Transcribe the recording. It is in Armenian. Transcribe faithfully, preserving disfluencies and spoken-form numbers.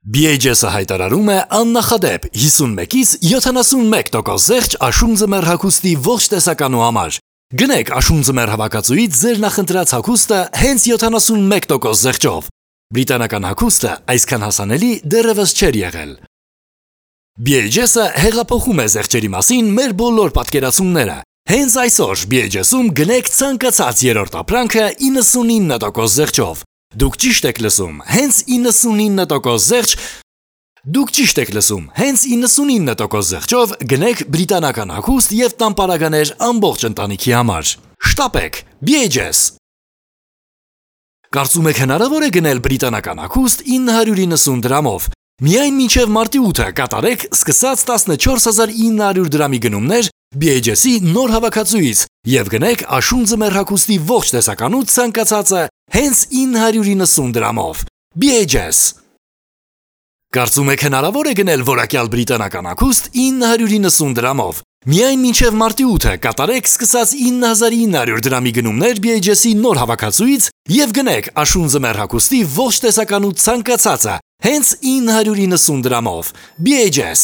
բի էյչ էս-ը հայտարարում է աննախադեպ հիսունմեկից յոթանասունմեկ տոկոս զեղչ աշուն ձմեռ հագուստի ողջ տեսականու համար։ Գնեք աշուն ձմեռ հավաքածուից ձեր նախընտրած հագուստը հենց յոթանասունմեկ տոկոս զեղչով։ Բրիտանական հագուստը այսքան հասանելի դեռևս չէր եղել։ բի էյչ էս-ը հեղափոխում է զեղչերի մասին մեր բոլոր պատկերացումները։ Հենց այսօր բի էյչ էս-ում գնեք ցանկացած երրորդ ապրանքը իննսունինը տոկոս զեղչով։ Դուք ճիշտ եք լսում, հենց իննսունինը տոկոս զեղչ Դուք ճիշտ եք լսում, հենց իննսունինը տոկոս զեղչով գնեք բրիտանական հագուստ և տամպարականեր ամբողջ ընտանիքի համար։ Շտապեք, բի էյչ էս։ Կարծում եք հնարավոր է գնել բրիտանական հագուստ ինը հարյուր իննսուն դրամով։ Միայն մինչև մարտի ութը կատարեք սկսած տասնչորս հազար ինը հարյուր դրամի գնումներ բի էյչ էս-ի նոր հավաքածուից և գնեք աշուն ձմեռ հագուստի ողջ տեսականու ցանկացածը հենց ինը հարյուր իննսուն դրամով։ բի էյչ էս։ Կարծում եք հնարավոր է գնել որակյալ բրիտանական հագուստ ինը հարյուր իննսուն դրամով։ Միայն մինչև մարտի ութը կատարեք սկսած ինը հազար ինը հարյուր դրամի գնումներ բի էյչ էս-ի նոր հավաքածուից և գնեք աշուն ձմեռ հագուստի ողջ տեսականու ցանկացածը հենց ինը հարյուր իննսուն դրամով։ բի էյչ էս։